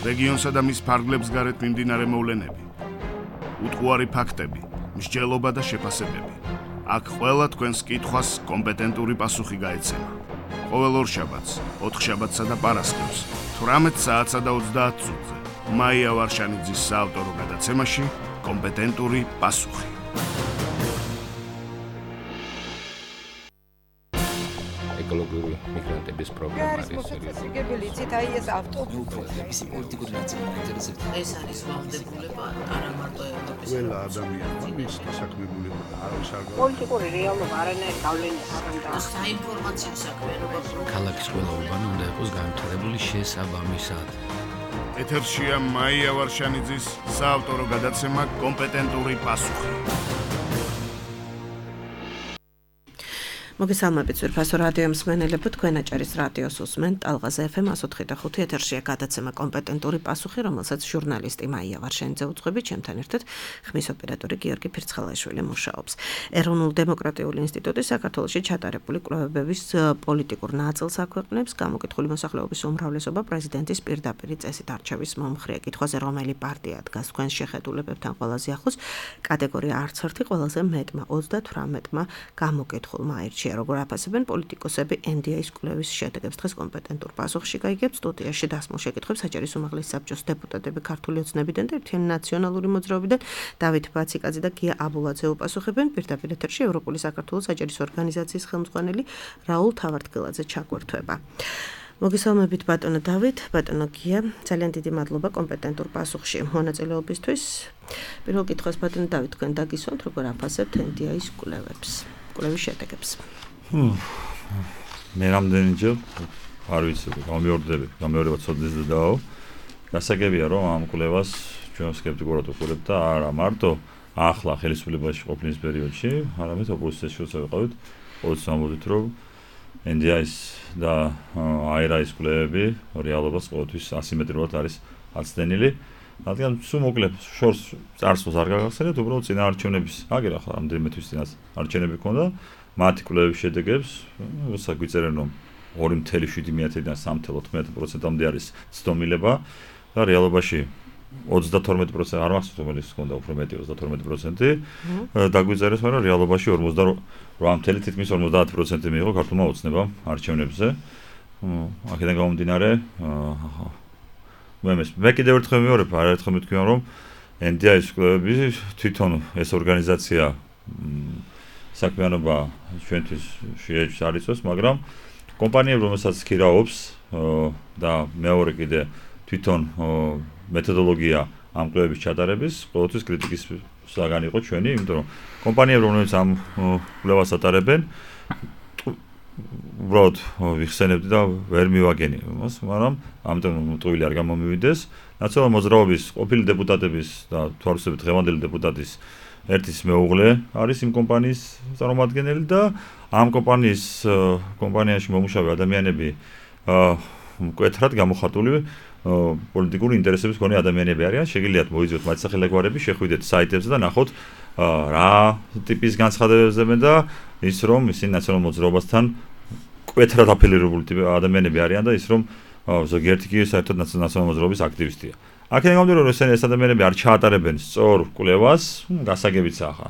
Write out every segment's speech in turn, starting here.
რეგიონსა და მის ფარგლებს გარეთ მიმდინარე მოვლენები, უტყუარი ფაქტები, მსჯელობა და შეფასებები. აქ ყველა თქვენს კითხვას კომპეტენტური პასუხი გაეცემა. ყოველ ორშაბათს, ოთხშაბათსა და პარასკევს, 18 საათსა და 30 წუთზე, მაია ვარშანიძის საავტორო გადაცემაში კომპეტენტური პასუხი. ეკოლოგიური მიგრანტების პრობლემა არის სერიოზული. იცით, აი ეს ავტობუსი პოლიტიკური ნაწილი ინტერესებს. ეს არის ვალდებულება არა მარტო ევროპის. ყველა ადამიანმა მის დასაქმებულება და არავის არ პოლიტიკური რეალობა არანაირ გავლენას არ აქვს. საინფორმაციო საქმიანობა ქალაქის ყველა უბანი უნდა იყოს განვითარებული შესაბამისად. ეთერშია მაია ვარშანიძის საავტორო გადაცემა კომპეტენტური პასუხი. მოგესალმებით ძვირფასო რადიო მსმენელებო, თქვენ აჭარის რადიოს უსმენთ ტალღაზე FM 104.5 ეთერშია გადაცემა კომპეტენტური პასუხი, რომელსაც ჟურნალისტი მაია ვარშანიძე უძღვებით, ჩემთან ერთად ხმის ოპერატორი გიორგი ფირცხალაშვილი მუშაობს. ეროვნულ დემოკრატიული ინსტიტუტი საქართველოში ჩატარებული კვლევების პოლიტიკურ ნაწილს აქვეყნებს, გამოკითხული მოსახლეობის უმრავლესობა პრეზიდენტის პირდაპირი წესით არჩევის მომხრეა. კითხვაზე რომელი პარტია დგას თქვენს შეხედულებებთან ყველაზე ახლოს, კატეგორია არც ერთი, ყველაზე მეტმა 38-მა გამოკითხულმა აირჩია. როგორ აფასებენ პოლიტიკოსები NDI-ის კვლევის შედეგებს. დღეს კომპეტენტურ პასუხში გაიგებს სტუდიაში დასმულ შეკითხვებს აჭარის უმაღლესი საბჭოს დეპუტატები ქართული ოცნებიდან და ერთიანი ნაციონალური მოძრაობიდან დავით ბაციკაძე და გია აბულაძე უპასუხებენ. პირდაპირ ეთერში ევროპული საქართველოს აჭარის ორგანიზაციის ხელმძღვანელი რაულ თავართგელაძე ჩაგვერთვება. მოგესალმებით ბატონო დავით, ბატონო გია, ძალიან დიდი მადლობა კომპეტენტურ პასუხში მონაწილეობისთვის. პირველ კითხვას ბატონო დავით, თქვენ დაგისვამთ, როგორ აფასებთ NDI-ის კვლევების შედეგებს. მე რამდენჯერ არ ვიცი, გამეორება ცოდნეს და დაო. გასაგებია, რომ ამ კვლევას ჩვენ სკეპტიკურად ვუყურებთ და არა მარტო ახლა ხელისუფლებაში ყოფნის პერიოდში, არამედ ოპოზიციაში ვიყავით, ყოველთვის ამბობთ, რომ NDI-ის და AERA-ის კვლევები რეალობას ყოველთვის ასიმეტრიულად არის აცდენილი. რადგან სულ მოკლედ შორს წარსულს არ გაგახსენებთ, უბრალოდ წინა არჩევნების აგერ ახლა რამდენიმე თვის წინას არჩევნები ქონდა, მათი კვლევების შედეგებს გვიწერენ, რომ 2.7-დან 3.9%-მდე არის ცდომილება და რეალობაში 32% არ მახსოვს რომელიც ქონდა უფრო მეტი 32% დაგვიწერეს, მაგრამ რეალობაში 48 თითქმის 50% მიიღო ქართულმა ოცნებამ არჩევნებზე. აქედან გამომდინარე მე კიდევ ერთხელ მეორე არაერთხელ მითქვია, რომ NDI-ის კვლევები თვითონ ეს ორგანიზაცია საქმიანობა ჩვენთვის შეეჭვს არ იწვევს, მაგრამ კომპანიები, რომელსაც ქირაობს და მეორე კიდე თვითონ მეთოდოლოგია ამ კვლევების ჩატარების ყოველთვის კრიტიკის საგანი იყო ჩვენი, იმიტომ რომ კომპანიები, რომლებიც ამ კვლევას ატარებენ, უბრალოდ ვიხსენებდი და ვერ მივაგენი მას, მაგრამ ამიტომ ტყუილი არ გამომივიდეს. ნაციონალური მოძრაობის ყოფილი დეპუტატების და თვალსაჩინო დღევანდელი დეპუტატის ერთის მეუღლე არის იმ კომპანიის წარმომადგენელი და ამ კომპანიაში მომუშავე ადამიანები მკვეთრად გამოხატული პოლიტიკური ინტერესების მქონე ადამიანები არიან. შეგიძლიათ მოიძიოთ მათი სახელგვარები, შეხვიდეთ საიტებზე და ნახოთ რა ტიპის განცხადებებზეა და ის რომ ისინი ნაციონალურ მოძრაობასთან მკვეთრად აფილირებული ადამიანები არიან და ის რომ ზოგიერთი კი საერთოდ ნაციონალურ მოძრაობის აქტივისტია. აქედან გამომდინარე, რომ ეს ადამიანები არ ჩაატარებენ სწორ კვლევას, გასაგებიცა ახლა.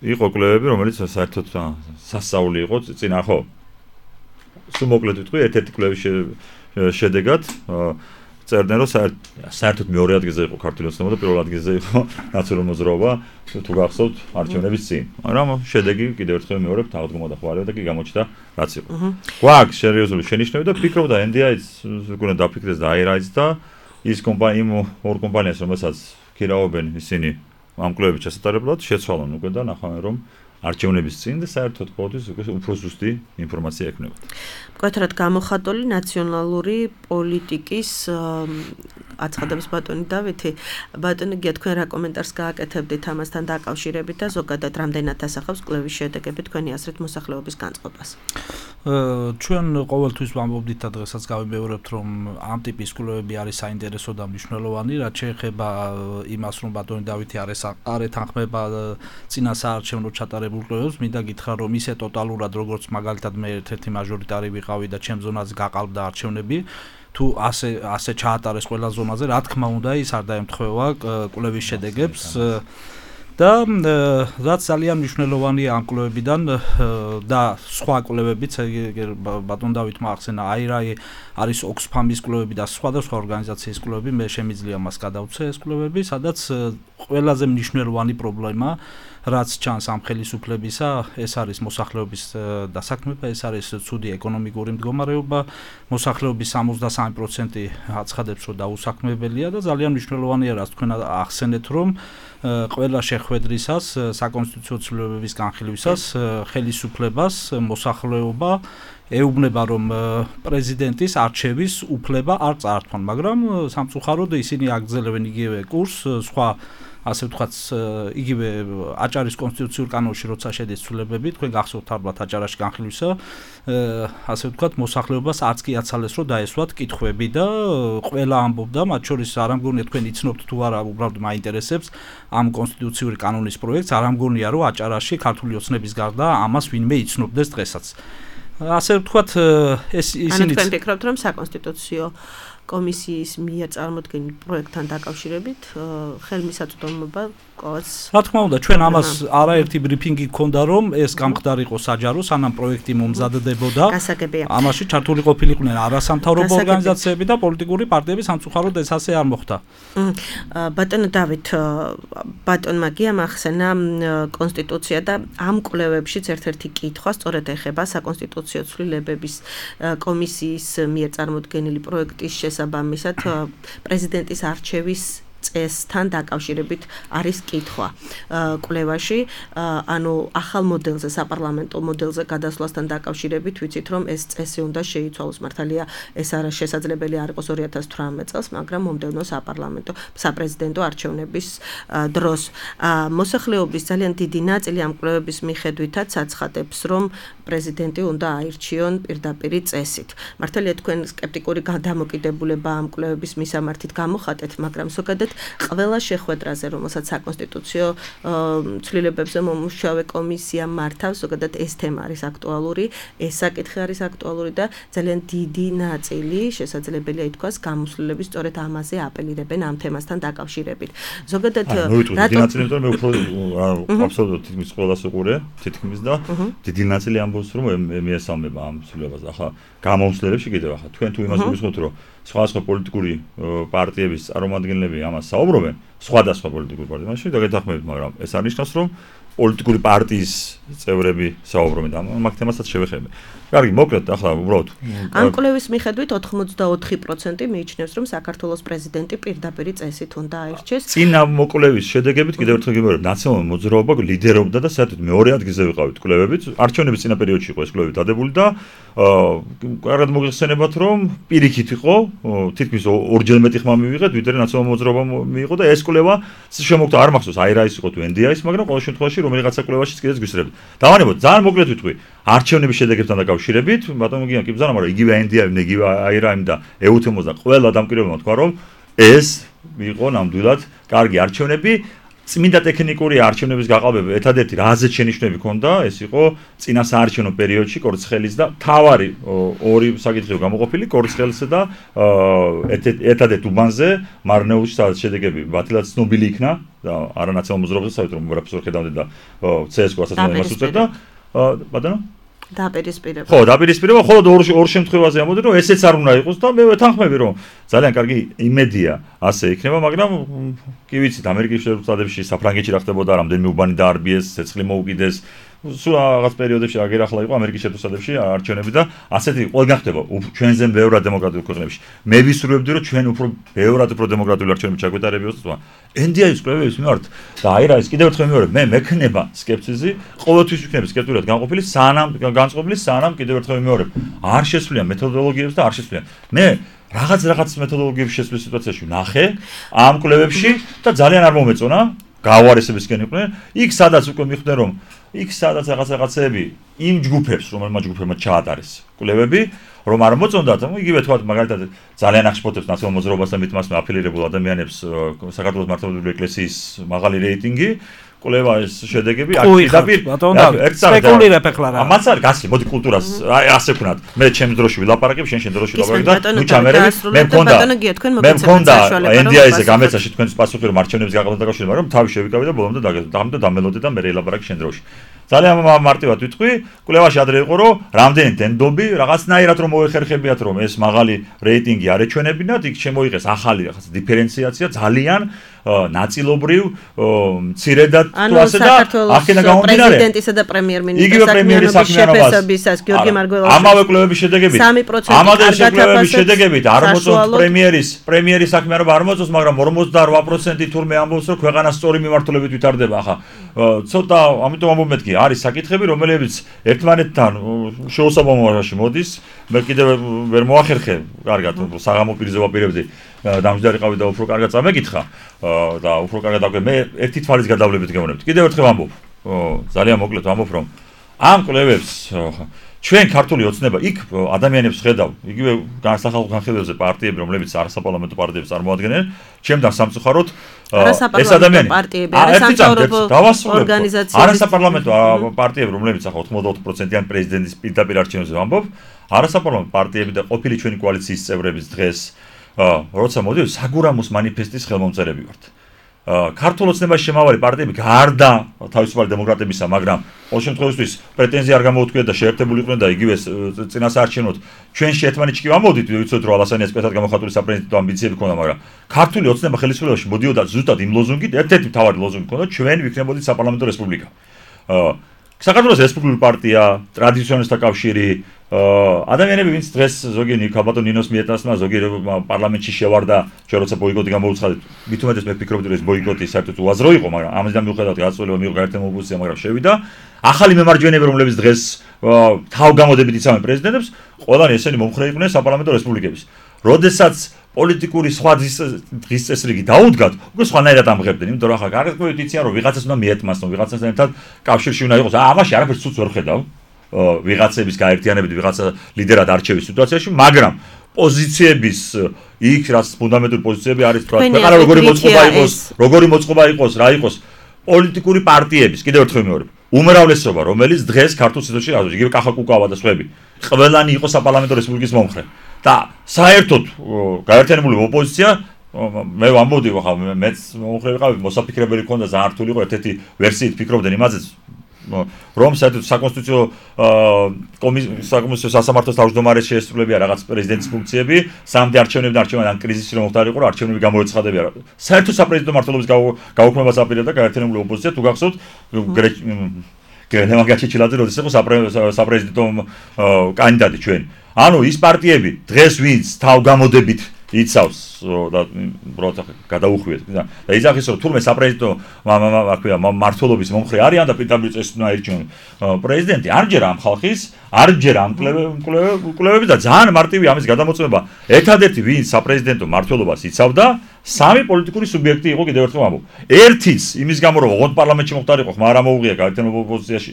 იყო კვლევები, რომელიც საერთოდ სასწაული იყო წინა ხო. სულ მოკლედ ვიტყვი, ერთ-ერთი კვლევის შედეგად წერდნენ, რომ საერთოდ მეორე ადგილზე იყო ქართული ოცნება და პირველ ადგილზე იყო ნაციონალური მოძრაობა, თუ გახსოვთ არჩევნების წინ. მაგრამ შედეგი კიდევ ერთხელ მეორე აღდგომა და ხوارება და კი გამოჩნდა რაც იყო. გვაქვს სერიოზული შენიშვნები და ფიქრობდა NDI-ს უკვე დაფიქრდეს და AERA-ს და ის იმ ორ კომპანიას, რომელსაც ქირაობენ ისინი ამ კვლევების ჩასატარებლად შეცვალონ უკვე და ნახავენ, რომ არჩევნების წინ და საერთოდ ყოველთვის უფრო ზუსტი ინფორმაცია ექნება. მკვეთრად გამოხატული ნაციონალური პოლიტიკის აცხადებს ბატონი დავითი. ბატონი გია, თქვენ რა კომენტარს გააკეთებდით ამასთან დაკავშირებით და ზოგადად რამდენად ასახავს კვლევის შედეგები თქვენი აზრით მოსახლეობის განწყობას? ჩვენ ყოველთვის ვამბობდით და დღესაც გავიმეორებთ, რომ ამ ტიპის კვლევები არის საინტერესო და მნიშვნელოვანი, რაც შეეხება იმას, რომ ბატონი დავითი არ ეთანხმება წინა საარჩევნო ჩატარებულ კვლევებს, მინდა გითხრა, რომ ისე ტოტალურად, როგორც მაგალითად მე ერთ-ერთი მაჟორიტარი ვიყავი და ჩემ ზონას გაყალბდა არჩევნები, თუ ასე ჩაატარეს ყველა ზონაზე, რა თქმა უნდა, ის არ დაემთხვევა კვლევის შედეგებს და რაც ძალიან მნიშვნელოვანია ამ კვლევებიდან და სხვა კვლევებიც, ბატონ დავითმა ახსენა, აირაი არის Oxfam-ის კვლევები და სხვადასხვა ორგანიზაციის კვლევები, მე შემიძლია მას გადავცე ეს კვლევები, სადაც ყველაზე მნიშვნელოვანი პრობლემა რაც ჩანს ამ ხელისუფლებისა, ეს არის მოსახლეობის დასაქმება, ეს არის ცუდი ეკონომიკური მდგომარეობა, მოსახლეობის 63% აცხადებს, რომ დაუსაქმებელია და ძალიან მნიშვნელოვანია, რაც თქვენ ახსენეთ, რომ ყველა შეხვედრისას, საკონსტიტუციო ცვლილებების განხილვისას ხელისუფლებას მოსახლეობა ეუბნება, რომ პრეზიდენტის არჩევის უფლება არ წაართვან, მაგრამ სამწუხაროდ ისინი აგრძელებენ იგივე კურსს, სხვა ასე ვთქვათ, იგივე აჭარის კონსტიტუციურ კანონში როცა შედის ცვლილებები, თქვენ გახსოვთ ალბათ აჭარაში განხილვისა, ასე ვთქვათ, მოსახლეობას არც კი აცალეს, რომ დაესვათ კითხვები და ყველა ამბობდა, მათ შორის არ ამგონია თქვენ იცნობთ თუ არა, უბრალოდ მაინტერესებს ამ კონსტიტუციური კანონის პროექტს, არ ამგონია, რომ აჭარაში ქართული ოცნების გარდა ამას ვინმე იცნობდეს დღესაც. ასე ვთქვათ, ეს ისინი თქვენ ფიქრობთ, რომ საკონსტიტუციო კომისიის მიერ წარმოქმნილ პროექტთან დაკავშირებით ხელმისაწვდომობა ყოველს რა თქმა უნდა ჩვენ ამას არაერთი ბრიფინგი გქონდა რომ ეს გამხდარიყო საჯარო სანამ პროექტი მომზადდებოდა ამაში ჩართული ყოფილიყვნენ არასამთავრობო ორგანიზაციები და პოლიტიკური პარტიები სამწუხაროდ ეს ასე არ მოხდა ბატონო დავით ბატონმა გიამ ახსენა კონსტიტუცია და ამ კვლევებშიც ერთ-ერთი კითხვა სწორედ ეხება საკონსტიტუციო ცვლილებების კომისიის მიერ წარმოქმნილი პროექტის შესაბამისად პრეზიდენტის არჩევის წესთან დაკავშირებით არის კითხვა კვლევაში ანუ ახალ მოდელზე საპარლამენტო მოდელზე გადასვლასთან დაკავშირებით ვიცით რომ ეს წესი უნდა შეიცვალოს მართალია ეს არა შესაძლებელი არ იყოს 2018 წელს მაგრამ მომდევნო საპრეზიდენტო არჩევნების დროს მოსახლეობის ძალიან დიდი ნაწილი ამ კვლევების მიხედვითაც აცხადებს რომ პრეზიდენტი უნდა აირჩიონ პირდაპირი წესით მართალია თქვენ სკეპტიკური დამოკიდებულება ამ კვლევების მისამართით გამოხატეთ მაგრამ ზოგადად ყველა შეხვედრაზე, რომელსაც საკონსტიტუციო ცვლილებებზე მომუშავე კომისია მართავს, ზოგადად ეს თემა არის აქტუალური, ეს საკითხი არის აქტუალური და ძალიან დიდი ნაწილი შესაძლებელია ითქვას გამოსვლელების სწორედ ამაზე აპელირებენ ამ თემასთან დაკავშირებით. ზოგადად დიდი ნაწილი, იმიტომ მე უფრო აბსოლუტურად თითქმის ყველას უყურე, თითქმის და დიდი ნაწილი ამბობს, რომ მიესალმება ამ ცვლილებაზე. ახლა გამოსვლელებში კიდევ ახლა თქვენ თუ იმას გულისხმობთ, რომ სხვადასხვა პოლიტიკური პარტიების წარმომადგენლები ამას საუბრობენ, სხვადასხვა პოლიტიკური პარტიებში და გეთანხმებით, მაგრამ ეს არ ნიშნავს, რომ პოლიტიკური პარტიის წევრები საუბრობენ და ამ თემასაც შევეხები. კარგი, მოკლედ, ახლა უბრალოდ ამ კვლევის მიხედვით 84% მიიჩნევს, რომ საქართველოს პრეზიდენტი პირდაპირი წესით უნდა აირჩიოს. წინა მოკვლევის შედეგებით კიდევ ერთხელ გიმეორებ, ნაციონალური მოძრაობა ლიდერობდა და საერთოდ მეორე ადგილზე ვიყავით კვლევებით. არჩევნების წინა პერიოდში იყო ეს კვლევი დადებული და კარგად მოგეხსენებათ, რომ პირიქით იყო, თითქმის ორჯერ მეტი ხმა მივიღეთ, ვიდრე ნაციონალური მოძრაობა მიიღო და ეს კვლევა შემოგდა არ მახსოვს, აირაის იყო თუ NDI-ის, მაგრამ ყოველ შემთხვევაში რომელიღაცა კვლევაშიც კიდეც გვისწრებთ. დავანებოთ, ძალიან მოკლედ ვიტყვი, არჩევნების შედეგებთან დაკავშირებით, ბატონო გიან კი ბრძანა, მაგრამ იგივე NDI-ი, იგივე აირაიმ და EUTM-ს და ყველა დამკვირვებელმა თქვა, რომ ეს იყო ნამდვილად კარგი არჩევნები. წმინდა ტექნიკური არჩევნების გაყალბება ერთადერთი რაზეც შენიშვნები ჰქონდა, ეს იყო წინა საარჩევნო პერიოდში კორცხელის და თავარი ორი საკითხი გამოყოფილი კორცხელსა და ერთადერთ უბანზე მარნეულში სადაც შედეგები ბათილად ცნობილი იქნა და არანაციონალურ მოძრაობაზე საერთოდ პროფესორ ხედავდე და CSKO-საც იმას უწევდა ბატონო დაპირისპირება. ხო, დაპირისპირება, ხოლო ორ შემთხვევაზე ამბობდი, რომ ესეც არ უნდა იყოს და მე ვეთანხმები, რომ ძალიან კარგი იმედია ასე იქნება, მაგრამ კი ვიცით, ამერიკის შეერთებულ შტატებში, საფრანგეთში რა ხდებოდა, რამდენიმე უბანი დაარბიეს, ცეცხლი მოუკიდეს, სულ რაღაც პერიოდებში აგერახლა იყო ამერიკის შეერთებულ შტატებში არჩევნები და ასეთი ყველგან ხდება, ჩვენზე ბევრად დემოკრატიულ ქვეყნებში. მე ვისურვებდი, რომ ჩვენ უფრო ბევრად უფრო დემოკრატიული არჩევნები ჩაგვეტარებიოს და NDI-ის კვლევების მიმართ და აირაის კიდევ ერთხელ მეორე, მე მექნება სკეპსიზი, ყოველთვის ვიქნები სკეპტურად განყოფილი, განწყობილი სანამ კიდევ ერთხელ მეორე. არ შესვლიან მეთოდოლოგიებს და არ შესვლიან. მე რაღაც მეთოდოლოგიების შესვლის სიტუაციაში ნახე ამ კვლევებში და ძალიან არ მომეწონა, გაუარესებისკენ იყვნენ. იქ სადაც უკვე მიხვდნენ, რომ იქ სადაც რაღაცეები იმ ჯგუფებს, რომელმა ჯგუფებმა ჩაატარეს კვლევები, რომ არ მოწონდათ, იგივე თქვა მაგალითად ძალიან აღშფოთებს ნაციონალურ მოძრაობასთან მitmas აფილირებულ ადამიანებს საქართველოს მართლმადიდებლური ეკლესიის მაღალი რეიტინგი, კვლევას შედეგები სპეკულირებ ახლა რა. ამაც არის გასი, მოდი კულტურას ასე ვქნათ. მე ჩემს დროში ვილაპარაკებ, შენ დროში ვილაპარაკებ და ნუ ჩამერები. მე მქონდა NDI-ზე გამეცაში თქვენს პასუხი რომ არჩევნების გაყიდვა დაკავშირებით, მაგრამ თავი შევიკავე და ბოლომდე დამელოდე და მე ელაპარაკე შენ დროში. ძალიან მარტივად ვიტყვი, კვლევაში ადრე იყო რომ რამდენი დენდობი რაღაცნაირად რომ მოეხერხებიათ რომ ეს მაღალი რეიტინგი არ ეჩვენებინათ, იქ შემოიღეს ახალი რაღაც დიფერენციაცია ძალიან ნაწილობრივ მცირედად თუ ასე და აქედან გამომდინარე პრეზიდენტისა და პრემიერ-მინისტრის შეფასებისას გიორგი მარგველაშვილი ამავე კვლევების შედეგებით ამავე კვლევების შედეგებით არ მოწონთ პრემიერის საქმიანობა არ მოწონს, მაგრამ 48% თურმე ამბობს რომ ქვეყანა სწორი მიმართულებით ვითარდება. ახლა ცოტა ამიტომ ამბობ მეთქი არის საკითხები რომელებიც ერთმანეთთან შეუსაბამობაში მოდის. მე კიდევ ვერ მოახერხე კარგად საღამო პირზე ვაპირებდი დამჯდარიყავი და უფრო კარგად წამეკითხა და უფრო კარგად აკვე მე ერთი თვალის გადავლებით გეუბნებთ. კიდევ ერთხელ ამბობ ძალიან მოკლედ ამბობ რომ ამ კვლევებს ჩვენ ქართული ოცნება იქ ადამიანებს ხედავ იგივე სახალხო განხილვებზე პარტიები რომლებიც არასაპარლამენტო პარტიებს წარმოადგენენ ჩემთან სამწუხაროდ ეს ადამიანი არასაპარლამენტო პარტიები რომლებიც ახლა 84%-იან პრეზიდენტის პირდაპირ არჩევნებზე ვამბობ არასაპარლამენტო პარტიები და ყოფილი ჩვენი კოალიციის წევრების დღეს როცა მოდიოდი საგურამოს მანიფესტის ხელმომწერები ვართ. ქართულ ოცნებაში შემავალი პარტიები გარდა თავისუფალი დემოკრატებისა, მაგრამ ყოველ შემთხვევაში პრეტენზია არ გამოუთქვიათ და შეერთებულიყვნენ და იგივე წინასაარჩევნოდ ჩვენში ერთმანეთში ვამოდით, ვიცით რომ ალასანიას პეთად გამოხატული საპრეზიდენტო ამბიციები ქონდა, მაგრამ ქართული ოცნება ხელისუფლებაში მოდიოდა ზუსტად იმ ლოზუნგით, ერთ-ერთი მთავარი ლოზუნგი ქონდა, ჩვენ ვიქნებოდით საპარლამენტო რესპუბლიკა. საქართველოს რესპუბლიკური პარტია, ტრადიციონალისტთა კავშირი, ადამიანები ვინც დღეს ზოგი ნიკაბატონ ნინოს მიეტანსმა, ზოგი პარლამენტში შევარდა, ჩვენ როცა ბოიკოტი გამოვუცხადეთ, მით უმეტეს მე ვფიქრობდი რომ ეს ბოიკოტი საერთოდ უაზრო იყო, მაგრამ ამისგან მიუხედავად გაწოლება მიიღო გაერთიანებული ოპოზიცია, მაგრამ შევიდა. ახალი მემარჯვენეები, რომლებიც დღეს თავგამოდებით იცავენ პრეზიდენტებს, ყველანი ესენი მომხრე იყვნენ საპარლამენტო რესპუბლიკების. როდესაც პოლიტიკური სხვა დღის წესრიგი დაუდგათ, უკვე სხვანაირად ამღებდნენ, იმიტომ რომ ახლა გარკვეულწილად იციან რომ ვიღაცას უნდა მიეთმასნო, ვიღაცასთან ერთად კავშირში უნდა იყოს. ამაში არაფერს ცუც ვერ ხედავ. ვიღაცების გაერთიანებით ვიღაცა ლიდერად არჩევის სიტუაციაში, მაგრამ პოზიციების იქ რაც ფუნდამენტური პოზიციები არის, ქვეყანა როგორი მოწყობა იყოს, რა იყოს პოლიტიკური პარტიების, კიდევ ერთხელ ვიმეორებ, უმრავლესობა, რომელიც დღეს ქართულ სიტუაციაში არის, იგივე კახა კუკავა და სხვები, ყველანი იყო საპარლამენტო რესპუბლიკის მომხრე. და საერთოდ გაერთიანებული ოპოზიცია მე ვამბობდი ხა მეც მომხრე ვიყავი, მოსაფიქრებელი ქონდა ძალიან რთული იყო ერთ-ერთი ვერსიით ფიქრობდნენ იმაზე რომ საერთოდ საკონსტიტუციო საკონსტიტუციო სასამართლოს თავმჯდომარეს შეესრულებია რაღაც პრეზიდენტის ფუნქციები, სამდი არჩევნებიდან კრიზისი რომ მოხდარიყო, რომ არჩევნები გამოეცხადებია. საერთოდ საპრეზიდენტო მმართველობის გაუქმებას აპირებდა გაერთიანებული ოპოზიცია, თუ გახსოვთ ლევან გაჩეჩილაძე როდის იყო საპრეზიდენტო კანდიდატი ჩვენ. ანუ ის პარტიები დღეს ვინც თავგამოდებით იცავს და უბრალოდ გადაუხვიეთ და იზახის რომ თურმე საპრეზიდენტო მმართველობის მომხრე არიან და პირდაპირ წესით უნდა ირჩიონ პრეზიდენტი, არჯერ ამ ხალხის, არჯერ ამ კვლევები და ძალიან მარტივი ამის გადამოწმება. ერთადერთი ვინც საპრეზიდენტო მმართველობას იცავდა, სამი პოლიტიკური სუბიექტი იყო, კიდევ ერთხელ ვამბობ. ერთიც იმის გამო რომ ოღონდ პარლამენტში მოხდარიყო, ხმა არ ამოუღია გაერთიანებულ ოპოზიციაში,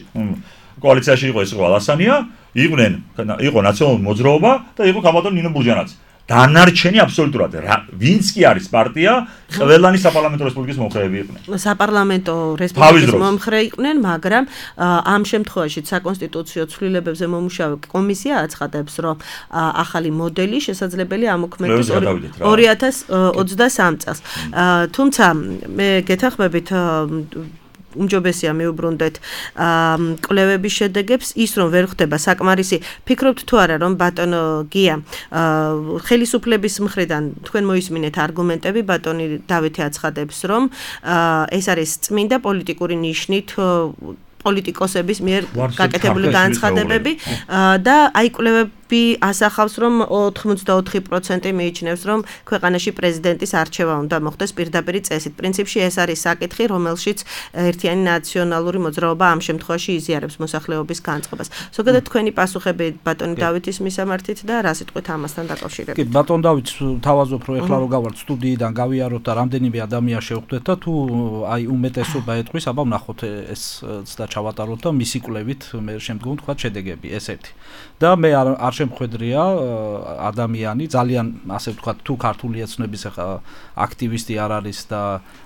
კოალიციაში იყო ეს იყო ალასანია, იყო ნაციონალური მოძრაობა და იყო ქაბატონ ნინო ბურჯანაძე. დანარჩენი აბსოლუტურად ვინც კი არის პარტია, ყველანი საპარლამენტო რესპუბლიკის მომხრეები იყვნენ. საპარლამენტო რესპუბლიკის მომხრე იყვნენ, მაგრამ ამ შემთხვევაში საკონსტიტუციო ცვლილებებზე მომუშავე კომისია აცხადებს, რომ ახალი მოდელი შესაძლებელია ამოქმედდეს 2023 წელს. თუმცა მე გეთანხმებით უმჯობესია მიუბრუნდეთ კვლევების შედეგებს, ის რომ ვერ ხდება საკმარისი. ფიქრობთ თუ არა რომ ბატონო გია ხელისუფლების მხრიდან თქვენ მოისმინეთ არგუმენტები, ბატონი დავითი აცხადებს რომ ეს არის წმინდა პოლიტიკური ნიშნით პოლიტიკოსების მიერ გაკეთებული განცხადებები და აი კვლევები ასახავს რომ 84% მიიჩნევს რომ ქვეყანაში პრეზიდენტის არჩევა უნდა მოხდეს პირდაპირ წესით. პრინციპში ეს არის საკითხი, რომელშიც ერთიანი ნაციონალური მოძრაობა ამ შემთხვევაში იზიარებს მოსახლეობის განწყობას. ზოგადად თქვენი პასუხები ბატონი დავითის მისამართით და რა სიტყვით ამასთან დაკავშირებით? კი, ბატონ დავითს თავაზობ რომ ეხლა რო გავართ სტუდიიდან გავიაროთ და რამდენიმე ადამიანს შევხვდეთ და თუ აი უმეტესობა ეთქვის, აბა ვნახოთ ეს და ჩავატაროთ და მისი კვლევით მე შემდგომ თქვა შედეგები ეს ერთი. და მე არ არშემხედრია ადამიანი, ძალიან ასე ვთქვათ, თუ ქართული ეთნების აქტივისტი არ არის და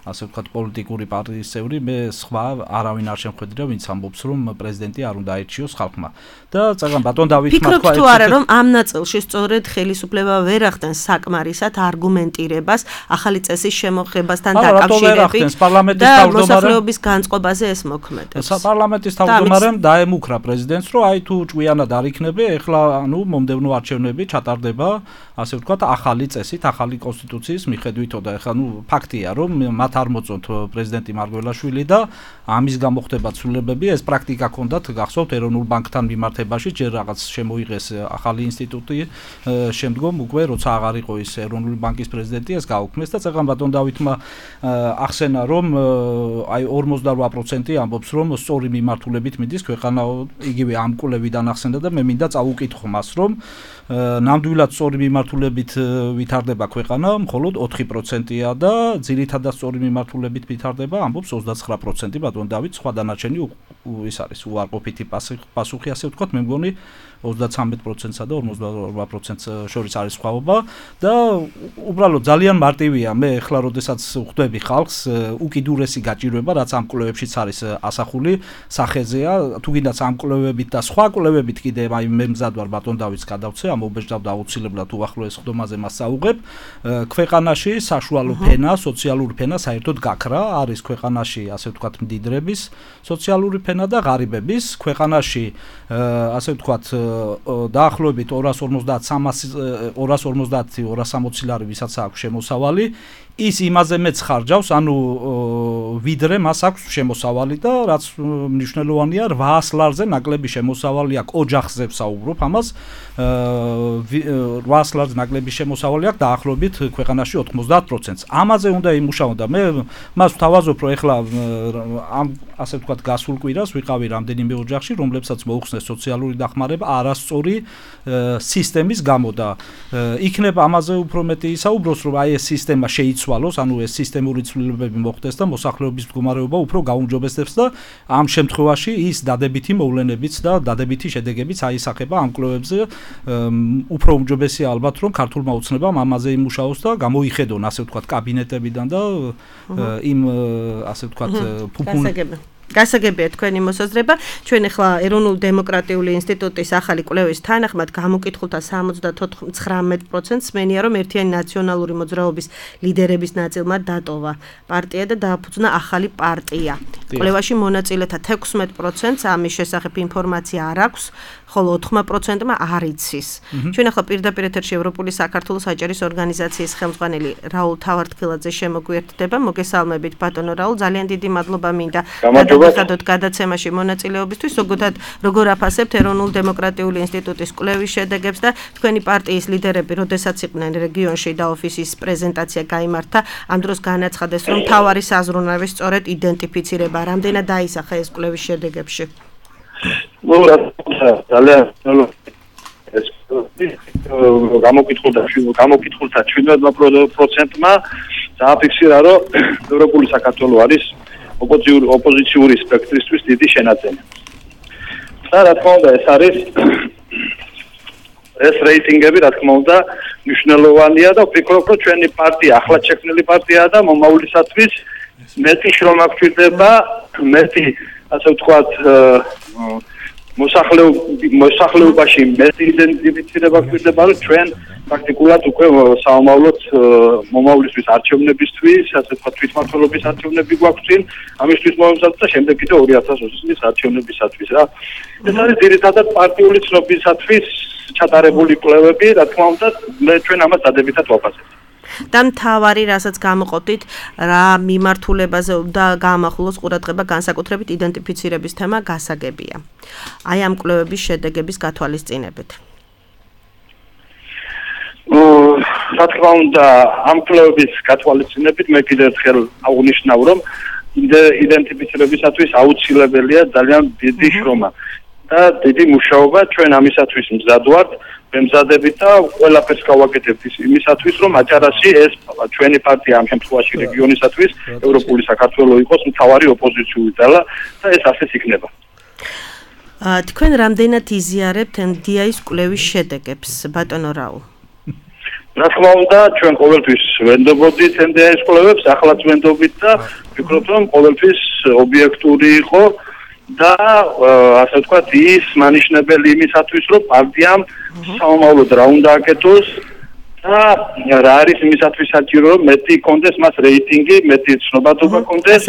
ასე ვთქვათ, პოლიტიკური პარტიის წევრი, მე სხვა არავინ არ შემხედრია, ვინც ამბობს, რომ პრეზიდენტი არ უნდა აირჩიოს ხალხმა. და წეგან ბატონ დავითმა თქვა თუ არა, რომ ამ ნაწილში სწორედ ხელისუფლება ვერ ახდენს საკმარისად არგუმენტირებას ახალი წესის შემოღებასთან დაკავშირებით და მოსახლეობის განწყობაზე ეს მოქმედებს. პარლამენტის თავმჯდომარემ დაემუქრა პრეზიდენტს, რომ აი თუ ჭვიანად არ იქნება, ეხლა ანუ მომდევნო არჩევნები ჩატარდება, ასე ვთქვათ, ახალი წესით, ახალი კონსტიტუციის მიხედვითო და ეხლა ფაქტია, რომ მათ არ მოწონთ პრეზიდენტი მარგველაშვილი და ამის გამო ხდება ცვლილებები, ეს პრაქტიკა ჰქონდათ, გახსოვთ, ეროვნულ ბანკთან მიმართებაში, ჯერ რაღაც შემოიღეს ახალი ინსტიტუტი, შემდგომ უკვე როცა აღარ იყო ის ეროვნული ბანკის პრეზიდენტი, ეს გაუქმეს და წეგან ბატონ დავითმა ახსენა, რომ აი 48% ამბობს, რომ სწორი მიმართულებით მიდის ქვეყანა, იგივე ამ კვლევიდან ახსენდა და მე მინდა წავუკითხო მას, რომ ნამდვილად სწორი მიმართულებით ვითარდება ქვეყანა, მხოლოდ 4%-ია და ძირითადად სწორი მიმართულებით ვითარდება, ამბობს 29% ბატონ დავით, სხვა დანარჩენი ის არის უარყოფითი პასუხი, ასე ვთქვათ, მე მგონი 33%-სა და 42%-ს შორის არის სხვაობა და უბრალოდ ძალიან მარტივია, მე ეხლა როდესაც ხვდები ხალხს, უკიდურესი გაჭირვება, რაც ამ კვლევებშიც არის ასახული, სახეზეა, თუ გინდაც ამ კვლევებით და სხვა კვლევებით კიდე აი მე მზად ვარ ბატონ დავითს გადავცე, ამობეჭდავ და აუცილებლად უახლოეს ხდომაზე მას საუღებ, ქვეყანაში საშუალო ფენა, სოციალური ფენა საერთოდ გაქრა, არის ქვეყანაში, ასე ვთქვათ, მდიდრების სოციალური ფენა და ღარიბების, ქვეყანაში, ასე ვთქვათ, დაახლოებით 250-300-260 ლარი ვისაც აქვს შემოსავალი, ის იმაზე მეც ხარჯავს, ანუ ვიდრე მას აქვს შემოსავალი და რაც მნიშვნელოვანია 800 ლარზე ნაკლები შემოსავალი აქვს, ოჯახზე ვსაუბრობ ამას, 800 ლარზე ნაკლები შემოსავალი აქვს დაახლოებით ქვეყანაში 90%-ს. ამაზე უნდა იმუშაო და მე მას ვთავაზობ, რომ ეხლა ამ ასე ვთქვათ გასულ კვირას ვიყავი რამდენიმე ოჯახში, რომლებსაც მოუხსნეს სოციალური დახმარება არასწორი სისტემის გამო და იქნება ამაზე უფრო მეტი ისაუბროს, რომ აი ეს სისტემა შეიცვალოს, ანუ ეს სისტემური ცვლილებები მოხდეს და მოსახლეობის მდგომარეობა უფრო გაუმჯობესდეს და ამ შემთხვევაში ის დადებითი მოვლენებიც და დადებითი შედეგებიც აისახება ამ კვლევებზე, უფრო უმჯობესია ალბათ, რომ ქართულმა ოცნებამ ამაზე იმუშაოს და გამოიხედონ, ასე ვთქვათ, კაბინეტებიდან და იმ ასე ვთქვათ გასაგებია თქვენი მოსაზრება. ჩვენ ახლა ეროვნული დემოკრატიული ინსტიტუტის ახალი კვლევის თანახმად გამოკითხულთა 79%-ს მენია, რომ ერთიანი ნაციონალური მოძრაობის ლიდერების ნაწილმა დატოვა პარტია და დააფუძნა ახალი პარტია. კვლევაში მონაწილეთა 16%-ს ამის შესახებ ინფორმაცია არ აქვს, ხოლო 4%-მა არ იცის. ჩვენ ახლა პირდაპირ ეთერში ევროპული საქართველოს აჭარის ორგანიზაციის ხელმძღვანელი რაულ თავართქილაძე შემოგვიერთდება. მოგესალმებით ბატონო რაულ, ძალიან დიდი მადლობა მინდა გადაგიხადოთ გადაცემაში მონაწილეობისთვის. როგორ აფასებთ ეროვნულ დემოკრატიული ინსტიტუტის კვლევის შედეგებს და თქვენი პარტიის ლიდერები, როდესაც იყვნენ რეგიონში და ოფისის პრეზენტაცია გაიმართა, ამ დროს განაცხადეს, რომ მთავარი საზრუნავი სწორედ იდენტიფიცირება, რამდენად დაისახა ეს კვლევის შედეგებში. ძალიან ეს გამოკითხულთა 7%-მა დააფიქსირა, რომ ევროპული საქართველო არის ოპოზიციური სპექტრისთვის დიდი შენაძენი. და რა თქმა უნდა, ეს რეიტინგები, რა თქმა უნდა, მნიშვნელოვანია და ვფიქრობ, რომ ჩვენი პარტია, ახლად შექმნილი პარტიაა და მომავლისათვის მეტი შრომა გვჭირდება, მეტი, ასე ვთქვათ, მოსახლეობაში მეტი იდენტიფიცირება გვჭირდება, რომ ჩვენ პრაქტიკულად უკვე საომავლოდ მომავლისთვის არჩევნებისთვის, ასე ვთქვათ, თვითმმართველობის არჩევნები გვაქვს წინ, ამისთვის მომზადდა და შემდეგ კიდე 2020 წლის არჩევნებისათვის რა. ეს არის ძირითადად პარტიული ცნობისათვის ჩატარებული კვლევები, რა თქმა უნდა, ჩვენ ამას დადებითად ვაფასებთ. და მთავარი, რასაც გამოყოფდით, რა მიმართულებაზე და გაამახვილოს ყურადღება განსაკუთრებით იდენტიფიცირების თემა გასაგებია. აი ამ კვლევების შედეგების გათვალისწინებით. რა თქმა უნდა, ამ კვლევების გათვალისწინებით მე კიდევ ერთხელ აღვნიშნავ, რომ იდენტიფიცირებისათვის აუცილებელია ძალიან დიდი შრომა და დიდი მუშაობა. ჩვენ ამისათვის მზად ვართ, მემზადებით და ყველაფერს გავაკეთებთ იმისათვის, რომ აჭარაში ეს ჩვენი პარტია ამ შემთხვევაში რეგიონისათვის ევროპული საქართველო იყოს მთავარი ოპოზიციური ძალა და ეს ასეც იქნება. თქვენ რამდენად იზიარებთ NDI-ის კვლევის შედეგებს, ბატონო რაულ? რა თქმა უნდა, ჩვენ ყოველთვის ვენდობოდით NDI-ის კვლევებს, ახლაც ვენდობით და ვფიქრობ, რომ ყოველთვის ობიექტური იყო და ასე ვთქვათ, ის მანიშნებელი იმისათვის, რომ პარტიამ საომავლოდ რა უნდა აკეთოს და რა არის იმისათვის საჭირო, რომ მეტი კონდეს მას რეიტინგი, მეტი ცნობადობა კონდეს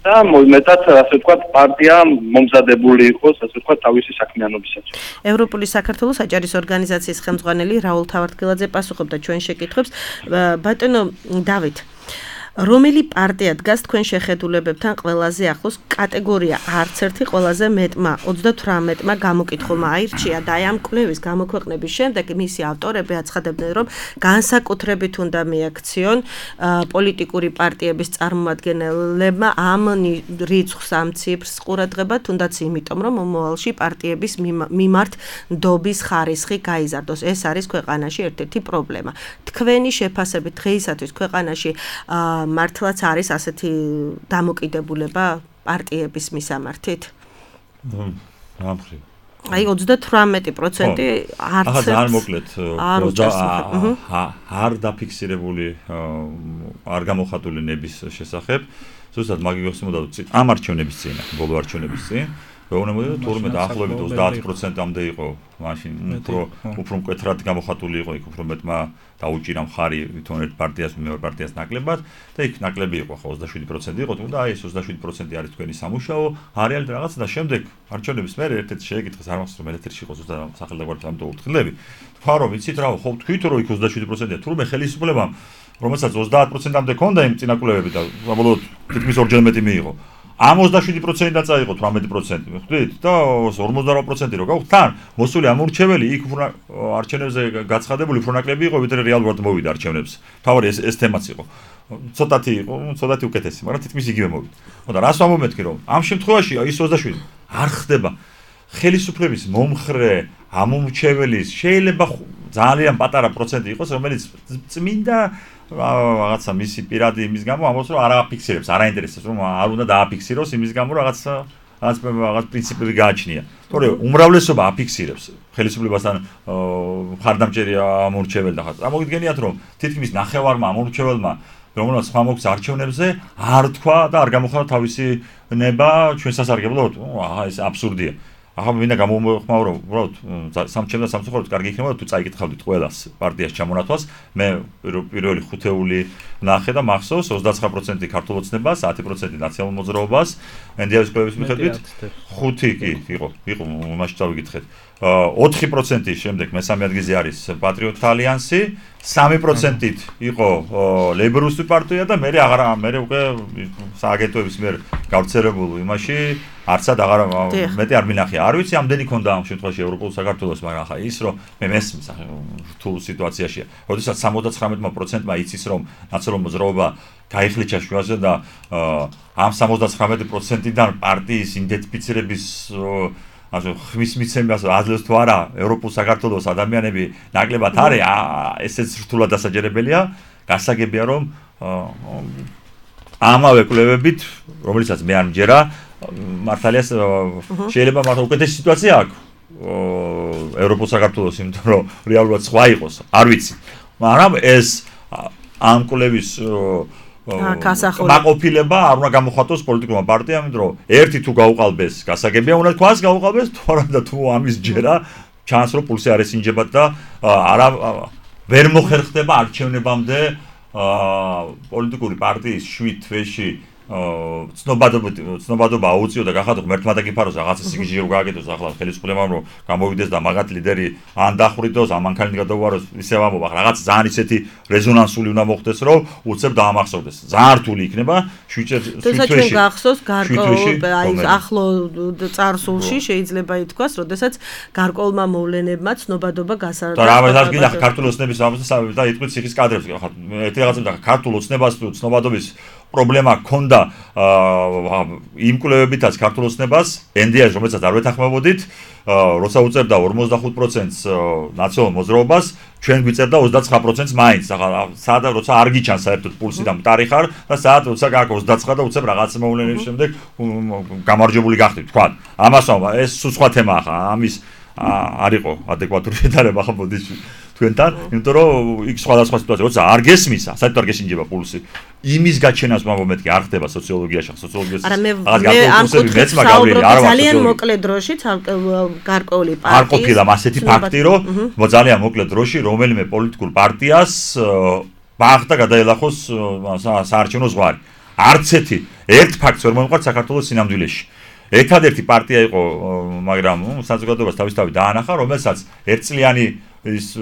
და მეტად ასე ვთქვათ, პარტია მომზადებული იყოს, ასე ვთქვათ, თავისი საქმიანობისათვის. ევროპული საქართველოს აჭარის ორგანიზაციის ხელმძღვანელი რაულ თავართქილაძე პასუხობდა ჩვენ შეკითხვებს. ბატონო დავით, რომელი პარტია დგას თქვენ შეხედულებებთან ყველაზე ახლოს? კატეგორია არც ერთი ყველაზე მეტმა 38-მა გამოკითხულმა აირჩია და აი ამ კვლევის გამოქვეყნების შემდეგ მისი ავტორები აცხადებდნენ, რომ განსაკუთრებით უნდა მიაქციონ პოლიტიკური პარტიების წარმომადგენლებმა ამ რიცხვს, ამ ციფრს ყურადღება, თუნდაც იმიტომ, რომ მომავალში პარტიების მიმართ ნდობის ხარისხი გაიზარდოს. ეს არის ქვეყანაში ერთ-ერთი პრობლემა. თქვენი შეფასებით დღეისათვის ქვეყანაში მართლაც არის ასეთი დამოკიდებულება პარტიების მისამართით? აი 38% არც არ მოკლედ არ დაფიქსირებული არ გამოხატული ნების შესახებ. ზუსტად მაგი გახსნოდა ამ არჩევნების წინ, ბოლო არჩევნების წინ ვეუბნებოდი, თურმე დაახლოებით 30%-ამდე იყო, მაშინ უფრო მკვეთრად გამოხატული იყო, იქ უფრო მეტმა დაუჭირა მხარი თვითონ ერთ პარტიას მეორე პარტიას ნაკლებად და იქ ნაკლები იყო, ხო 27% იყო, თუმცა აი ეს 27% არის თქვენი სამუშაო, არეალით რაღაცა და შემდეგ არჩევნების მერე ერთ-ერთი შეეკითხეს, არ მახსოვს რომ ელეთერში იყო ზუსტად სახელმწიფო ამიტომ ურთხილები. თქვა რომ იცით რა, ხო თქვით რომ იქ 27%-ია, თურმე ხელისუფლებამ რომელსაც 30%-ამდე ქონდა იმ წინაკვლევები და საბოლოოდ თითქმის ორჯერ მეტი მიიღო. ამ 27%-დან წაიღო 18%, ხვდით? და 48% რო გავხდით, თან მოსული ამურჩეველი იქ უფრო არჩევნებზე გაცხადებული უფრო ნაკლები იყო, ვიდრე რეალურად მოვიდა არჩევნებს. თავარი ეს თემაც იყო. ცოტათი იყო, ცოტათი უკეთესი, მაგრამ თითქმის იგივე მოვიდა. ხოდა რას ვამომეთქი რომ ამ შემთხვევაში ის 27 არ ხდება ხელისუფლების მომხრე ამურჩეველის შეიძლება ძალიან პატარა პროცენტი იყოს, რომელიც წმინდა რაღაცა მისი პირადი იმის გამო ამბობს რომ არ აფიქსირებს, არ აინტერესებს რომ არ უნდა დააფიქსიროს იმის გამო რაღაც პრინციპები გააჩნია. თორე უმრავლესობა აფიქსირებს ხელისუფლებასთან მხარდამჭერი ამორჩეველი და ხა მოგიდგენიათ რომ თითქმის ნახევარმა ამორჩეველმა რომელსაც სხვა მოგვს არჩევნებზე არ თქვა და არ გამოხატა თავისი ნება ჩვენ სასარგებლოდ. აჰა ეს აბსურდია. ახლა მინდა გამომხმაურო, უბრალოდ სამჩემ და სამწუხაროდ კარგი იქნება თუ წაიკითხავდით ყველას პარტიას ჩამონათვას. მე პირველი ხუთეული ნახე და მახსოვს 29% ქართულ ოცნებას, 10% ნაციონალურ მოძრაობას, NDI-ის კვლევის მიხედვით 5 კი იყო მაშინ წავიკითხეთ. 4% შემდეგ მესამე ადგილზე არის პატრიოტთა ალიანსი, 3%-ით იყო ლეიბორისტული პარტია და მე უკვე სააგენტოების მიერ გავრცელებულ იმაში არცად აღარ მეტი არ მინახია. არ ვიცი ამდენი ქონდა ამ შემთხვევაში ევროპულ საქართველოს, მაგრამ ახლა ის რომ მე მესმის რთულ სიტუაციაშია. როდესაც 79%-მა იცის რომ ნაციონალურ მოძრაობა გაიხლიჩა შუაზე და ამ 79%-დან პარტიის იდენტიფიცირების ასე ხმის მიცემას აძლევს თუ არა ევროპულ საქართველოს ადამიანები ნაკლებად არის, ესეც რთულად დასაჯერებელია. გასაგებია რომ ამავე კვლევებით, რომელიცაც მე არ მჯერა, მართალია შეიძლება მართლა უკეთესი სიტუაცია აქვს ევროპულ საქართველოს, იმიტომ რომ რეალურად სხვა იყოს, არ ვიცი. მაგრამ ეს ამ კვლევის მაყოფილება არ უნდა გამოხატოს პოლიტიკურმა პარტიამ, იმიტომ რომ ერთი თუ გაუყალბეს, გასაგებია უნდა თქვას გაუყალბეს, თუ ამის ჯერა ჩანს რომ პულსი არ ესინჯებათ და არა ვერ მოხერხდება არჩევნებამდე პოლიტიკური პარტიის 7 თვეში ცნობადობა აუწიო და გახადო ღმერთმა დაგიფაროს რაღაცა სიგიჟე რო გააკეთოს ახლა ხელისუფლებამ რომ გამოვიდეს და მაგათ ლიდერი ან დახვრიტოს ან მანქანით გადაუვაროს ისევ ამბობ ახლა რაღაც ძალიან ისეთი რეზონანსული უნდა მოხდეს რომ უცებ დაამახსოვდეს ძალიან რთული იქნება 7 თვეში გახსოვს გარკვეულ აი ახლო წარსულში შეიძლება ითქვას როდესაც გარკვეულმა მოვლენებმა ცნობადობა გასარდა და რა გინახ ქართულ ოცნების ამბავს და იტყვით ციხის კადრებს ახლა ერთი რაღაცა და ქართულ ოცნებას თუ ცნობადობის პრობლემა ჰქონდა იმ კვლევებითაც ქართულ ოცნებას, NDI-ს, რომელსაც არ ვეთანხმებოდით, როცა უწერდა 45%-ს ნაციონალურ მოძრაობას, ჩვენ გვიწერდა 29%-ს მაინც. სადა როცა არ გიჩანს საერთოდ პულსი და მტარი ხარ და საათ როცა გაქვს 29 და უცებ რაღაც მოვლენების შემდეგ გამარჯვებული გახდით, თქვა. ამასო ეს სხვა თემაა ხა, ამის არ იყო ადეკვატური შედარება ხა მოდის თქვენთან, იმიტომ რომ იქ სხვადასხვა სიტუაცია, როცა არ გესმისა, საერთოდ არ გესინჯება პულსი. იმის გაჩენას მომენტი არ ხდება სოციოლოგიაში, სოციოლოგიაში. ძალიან მოკლე დროში გარკვეული პარტიის არ ყოფილა ასეთი ფაქტი, რომ ძალიან მოკლე დროში რომელიმე პოლიტიკურ პარტიას ბახდა გადაელახოს საარჩევნო ზღვარი. არც ერთ ფაქტს ვერ მომყართ საქართველოს სინამდვილეში. ერთადერთი პარტია იყო, მაგრამ საზოგადოებას თავისთავად დაანახა, რომელსაც ერთწლიანი ის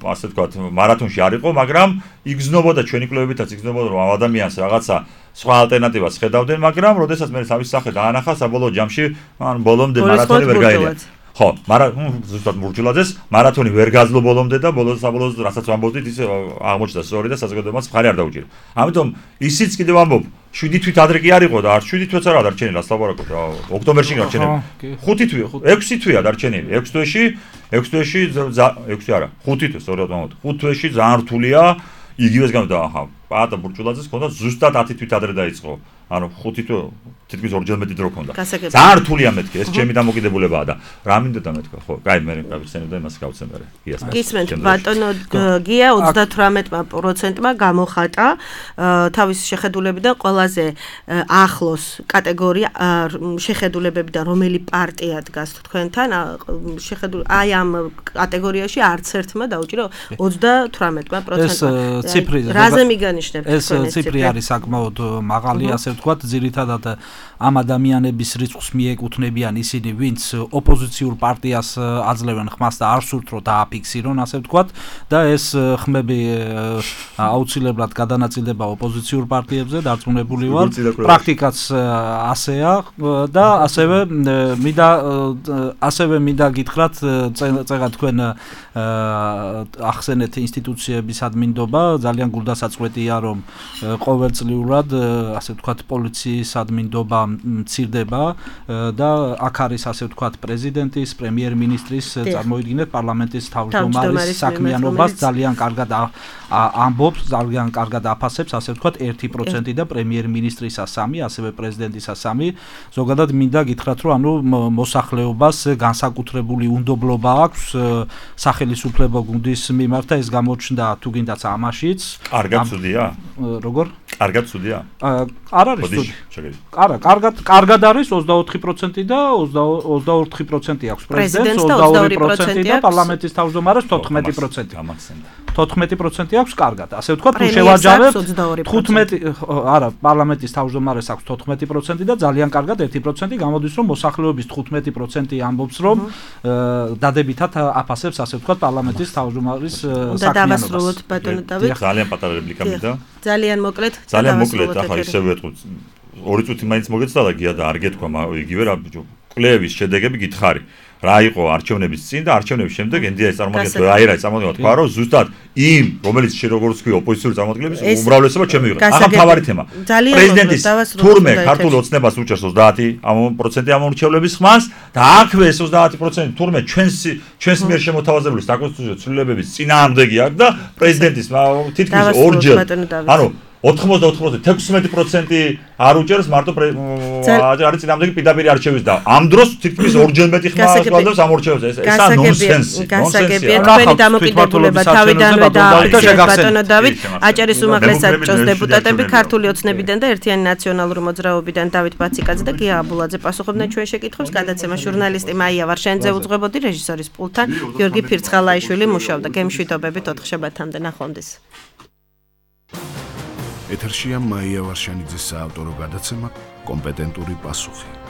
ასე ვთქვათ, მარათონში არ იყო, მაგრამ იგზნობოდა ჩვენი კვლევებითაც იგზნობოდა რომ ამ ადამიანს რაღაცა სხვა ალტერნატივას ხედავდნენ, მაგრამ როდესაც მე თავის სახე დაანახა, საბოლოო ჯამში, ან ბოლომდე მარათონი ვერ გაელია. ხო, ზუსტად მურჯულაძეს მარათონი ვერ გაძლო ბოლომდე და საბოლოოდ რასაც ვამბობდით, ის აღმოჩნდა სწორი და საზოგადოებას მხარი არ დაუჭირა. ამიტომ ისიც კიდევ ვამბობ, 7 თვით ადრე კი არ იყო და 7 თვეც არა დარჩენილი, რას ლაპარაკობ რა, ოქტომბერში დარჩენილი. 5 თვე, 6 თვეა დარჩენილი. 6 თვეში 6 არა, 5 თვე სწორად ვამბობ. 5 თვეში ძალიან რთულია იგივეს გამოდა, ახლა პატა ბურჭულაძეს ჰქონდა ზუსტად 10 თვით ადრე დაიწყო. ანუ 5 თვე თითქმის ორჯერ მეტი დრო ჰქონდა. ძალიან რთულია მეთქე, ეს ჩემი დამოკიდებულებაა და რა მინდა და მეთქვა, ხო, კაი, მე გავიხსენებ და იმას გავცემ მე. გიას. გისმენთ, ბატონო გია 38%-მა გამოხატა თავის შეხედულებიდან ყველაზე ახლოს კატეგორია შეხედულებებიდან რომელი პარტია დგას თქვენთან, აი ამ კატეგორიაში არც ერთმა დაუჭირა 38%-მა. ეს ციფრი რაზე მიგანიშნებთ ეს ციფრი არის საკმაოდ მაღალი, ასე ვთქვათ, ძირითადად ამ ადამიანების რიცხვს მიეკუთვნებიან ისინი, ვინც ოპოზიციურ პარტიას აძლევენ ხმას და არ სურთ რომ დააფიქსირონ, ასე ვთქვათ, და ეს ხმები აუცილებლად გადანაწილდება ოპოზიციურ პარტიებზე, დარწმუნებული ვარ. პრაქტიკაც ასეა და ასევე მინდა გითხრათ, წეგა თქვენ ახსენეთ ინსტიტუციების ადმინდობა, ძალიან გულდასაწყვეტია რომ ყოველწლიურად ასე ვთქვათ პოლიციის ადმინდობა მცირდება და აქ არის ასე ვთქვათ პრეზიდენტის, პრემიერ-მინისტრის, წარმოიდგინეთ პარლამენტის თავმჯდომარის საქმიანობას ძალიან კარგად ამბობს, ძალიან კარგად აფასებს, ასე ვთქვათ 1% და პრემიერ-მინისტრისა 3, ასევე პრეზიდენტისა 3. ზოგადად მინდა გითხრათ რომ ანუ მოსახლეობას განსაკუთრებული უნდობლობა აქვს სახელმწიფო გუნდის მიმართ და ეს გამოჩნდა თუ გინდაც ამაშიც. კარგად ცუდია? როგორ? კარგად ცუდია? არ არის ცუდი. არა, კარგად არის 24% და 24% აქვს პრეზიდენტს, 22% და პარლამენტის თავმჯდომარეს 14%. 14% აქვს კარგად. ასე ვთქვათ, თუ შევაჯამებთ 15 არა, პარლამენტის თავმჯდომარეს აქვს 14% და ძალიან კარგად 1% გამოდის რომ მოსახლეობის 15% ამბობს რომ დადებითად აფასებს ასე ვთქვათ პარლამენტის თავმჯდომარის საქმიანობას. და დავასრულოთ ბატონო დავით. ძალიან პატარა რეპლიკა მინდა. ძალიან მოკლედ. ძალიან მოკლედ, ახლა ისევ ვეთქვით. 2 წუთი მაინც მოგეცდა გია და არ გეთქვა იგივე რა კვლევის შედეგები გითხარი. რა იყო არჩევნების წინ და არჩევნების შემდეგ NDI-ს წარმოგიდგენთ, აი თქვა რომ ზუსტად იმ რომელიც როგორც თქვი ოპოზიციური წარმომადგენლების უმრავლესობა ჩემი იყო. ახლა მთავარი თემა. პრეზიდენტის თურმე ქართულ ოცნებას უჭერს 30% ამორჩევლების ხმას და აქვე ეს 30% თურმე ჩვენს მიერ შემოთავაზებული საკონსტიტუციო ცვლილებების წინააღმდეგი აქვს და პრეზიდენტის თითქმის ორჯერ ანუ 90% 16% არ უჭერს მარტო არის წინააღმდეგი პირდაპირ არჩევის და ამ დროს თითქმის ორჯერ მეტი ხმა გასვადებს ამორჩევებს. ესა ნონსენსი. გასაგებია თქვენი დამოკიდებულება თავიდანვე დააფიქსირეთ ბატონო დავით, აჭარის უმაღლეს საბჭოს დეპუტატები, ქართული ოცნებიდან და ერთიანი ნაციონალური მოძრაობიდან დავით ბაციკაძე და გია აბულაძე პასუხობდნენ ჩვენ შეკითხვებს. გადაცემა ჟურნალისტი მაია ვარშენიძე უძღვებოდი, რეჟისორის პულტთან გიორგი ფირცხალაიშვილი მუშაობდა. გემშვიდობებით 4 შაბათამდე ნახვამდის. ეთერშია მაია ვარშენიძის საავტორო გადაცემა კომპეტენტური პასუხი.